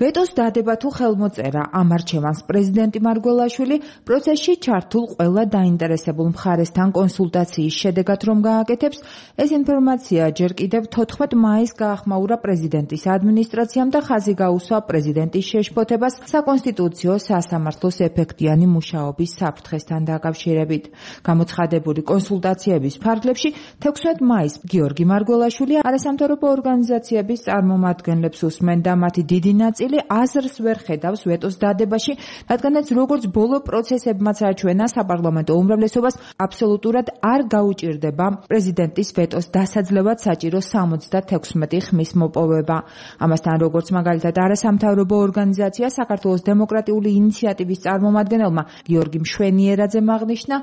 ვეტოს დადება თუ ხელმოწერა ამ არჩევანს პრეზიდენტი მარგველაშვილი პროცესში ჩართულ ყველა დაინტერესებულ მხარესთან კონსულტაციის შედეგად რომ გააკეთებს, ეს ინფორმაცია ჯერ კიდევ 14 მაისს გაახმაურა პრეზიდენტის ადმინისტრაციამ და ხაზი გაუსვა პრეზიდენტის შეშფოთებას საკონსტიტუციო სასამართლოს ეფექტიანი მუშაობის საფრთხესთან დაკავშირებით. გამოცხადებული კონსულტაციების ფარგლებში 16 მაისს გიორგი მარგველაშვილი არასამთავრობო ორგანიზაციების წარმომადგენლებს უსმენდა, მათი დიდი ნაწილი აზრს ვერ ხედავს ვეტოს დადებაში, რადგანაც როგორც ბოლო პროცესებმაც აჩვენა, საპარლამენტო უმრავლესობას აბსოლუტურად არ გაუჭირდება პრეზიდენტის ვეტოს დასაძლევად საჭირო 76 ხმის მოპოვება. ამასთან, როგორც მაგალითად არასამთავრობო ორგანიზაცია საქართველოს დემოკრატიული ინიციატივის წარმომადგენელმა გიორგი მშვენიერაძემ აღნიშნა,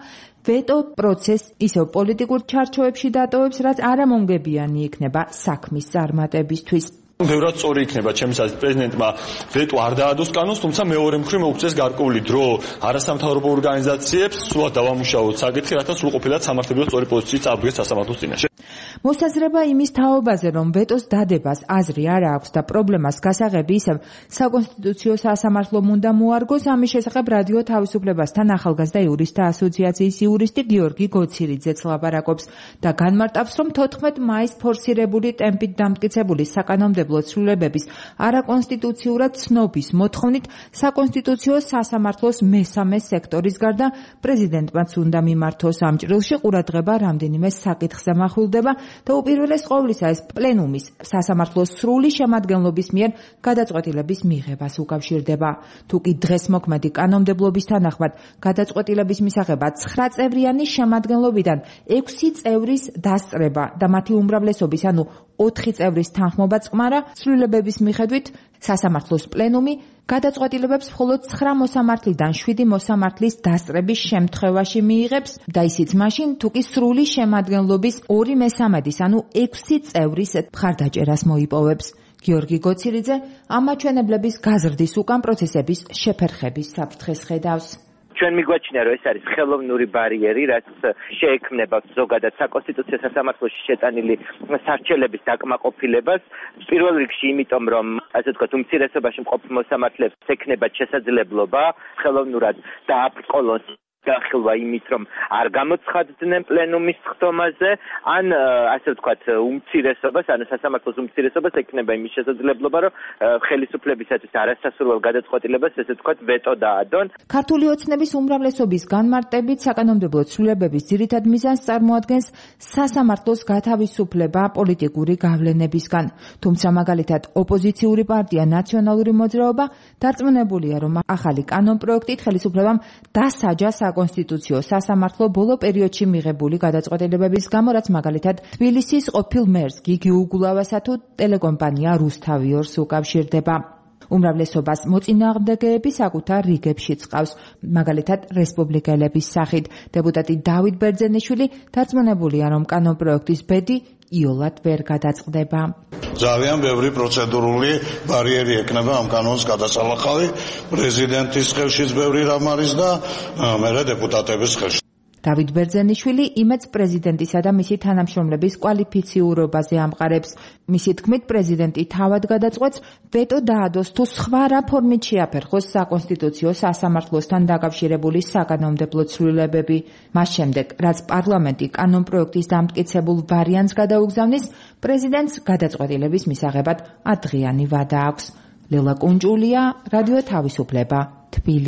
ვეტო პროცესს ისევ პოლიტიკურ ჩარჩოებში დატოვებს, რაც არამონგებიანი იქნება საქმის წარმატებისთვის. ბევრად სწორი იქნება ჩემს აზრით პრეზიდენტმა ვეტო არ დაადოს კანონს, თუმცა მეორე მხრივ მოუწეს გარკვეული დრო არასამთავრობო ორგანიზაციებს სულად დავამუშავოთ საკითხი, რათა სრულყოფილად სამართლებრივ სწორი პოზიციით წარდგეს სასამართლოს წინაშე. მოსაზრება იმის თაობაზე, რომ ვეტოს დადებას აზრი არ აქვს და პრობლემას გასაღები ისევ საკონსტიტუციო სასამართლომ უნდა მოარგოს, ამის შესახებ რადიო თავისუფლებასთან ახალგაზრდა იურისტთა ასოციაციის იურისტი გიორგი გოცირიძეც ლაპარაკობს და განმარტავს, რომ 14 მაისს ფორსირებული ტემპით დამტკიცებული საკანონმდებლო ცვლილებების არაკონსტიტუციურად ცნობის მოთხოვნით საკონსტიტუციო სასამართლოს მესამე სექტორის გარდა პრეზიდენტმაც უნდა მიმართოს ამ ჭრილში ყურადღება რამდენიმე საკითხზე მახვილდება და უპირველეს ყოვლისა ეს პლენუმის სასამართლოს სრული შემადგენლობის მიერ გადაწყვეტილების მიღებას უკავშირდება. თუკი დღეს მოქმედი კანონმდებლობის თანახმად გადაწყვეტილების მისაღება 9 წევრიანი შემადგენლობიდან 6 წევრის დასწრება და მათი უმრავლესობის, ანუ 4 წევრის თანხმობა წყმარა, ცვლილებების მიხედვით სასამართლოს პლენუმი გადაწყვეტილებებს მხოლოდ 9 მოსამართლიდან 7 მოსამართლის დასწრების შემთხვევაში მიიღებს და ისიც მაშინ, თუკი სრული შემადგენლობის 2/3, ანუ 6 წევრის მხარდაჭერას მოიპოვებს. გიორგი გოცირიძე ამ მაჩვენებლების გაზრდის უკან პროცესების შეფერხების საფრთხეს ხედავს. ჩვენ მიგვაჩნია, რომ ეს არის ხელოვნური ბარიერი, რაც შეექმნება ზოგადად საკონსტიტუციო სასამართლოში შეტანილი სარჩელების დაკმაყოფილებას. პირველ რიგში იმიტომ, რომ ასე ვთქვათ, უმცირესობაში მყოფ მოსამართლეებს ექნებათ შესაძლებლობა ხელოვნურად დააბრკოლონ გახილვა იმით, რომ არ გამოცხადდნენ პლენუმის ხდომაზე, ან ასე ვთქვათ, უმცირესობას, ანუ სასამართლოს უმცირესობას ექნება იმის შესაძლებლობა, რომ ხელისუფლებისათვის არასასურველ გადაწყვეტილებას, ესე ვთქვათ, ვეტო დაადონ. ქართული ოცნების უმრავლესობის განმარტებით საკანონმდებლო ცვლილებების ძირითად მიზანს წარმოადგენს სასამართლოს გათავისუფლება პოლიტიკური გავლენებისგან. თუმცა მაგალითად ოპოზიციური პარტია ნაციონალური მოძრაობა დარწმუნებულია, რომ ახალი კანონპროექტით ხელისუფლებამ დასაჯა საკონსტიტუციო სასამართლო ბოლო პერიოდში მიღებული გადაწყვეტილებების გამო, რაც მაგალითად თბილისის ყოფილ მერს გიგი უგულავასა თუ ტელეკომპანია რუსთავიორს უკავშირდება. უმრავლესობას მოწინააღმდეგეები საკუთარ რიგებშიც ყავს, მაგალითად რესპუბლიკელების სახით. დეპუტატი დავით ბერძენიშვილი დარწმუნებულია, რომ კანონპროექტის ბედი იოლად ვერ გადაწყდება. ძალიან ბევრი პროცედურული ბარიერი ექნება ამ კანონს გადასალახავი, პრეზიდენტის ხელშიც ბევრი რამ არის და მერე დეპუტატების ხელში. დავით ბერძენიშვილი იმედს პრეზიდენტისა და მისი თანამშრომლების კვალიფიციურობაზე ამყარებს. მისი თქმით, პრეზიდენტი თავად გადაწყვეტს ვეტო დაადოს თუ სხვა რა ფორმით შეაფერხოს საკონსტიტუციო სასამართლოსთან დაკავშირებული საკანონმდებლო ცვლილებები. მას შემდეგ, რაც პარლამენტი კანონპროექტის დამტკიცებულ ვარიანტს გადაუგზავნის, პრეზიდენტს გადაწყვეტილების მისაღებად 10 დღიანი ვადა აქვს. ლელა კუნჭულია, რადიო თავისუფლება, თბილისი.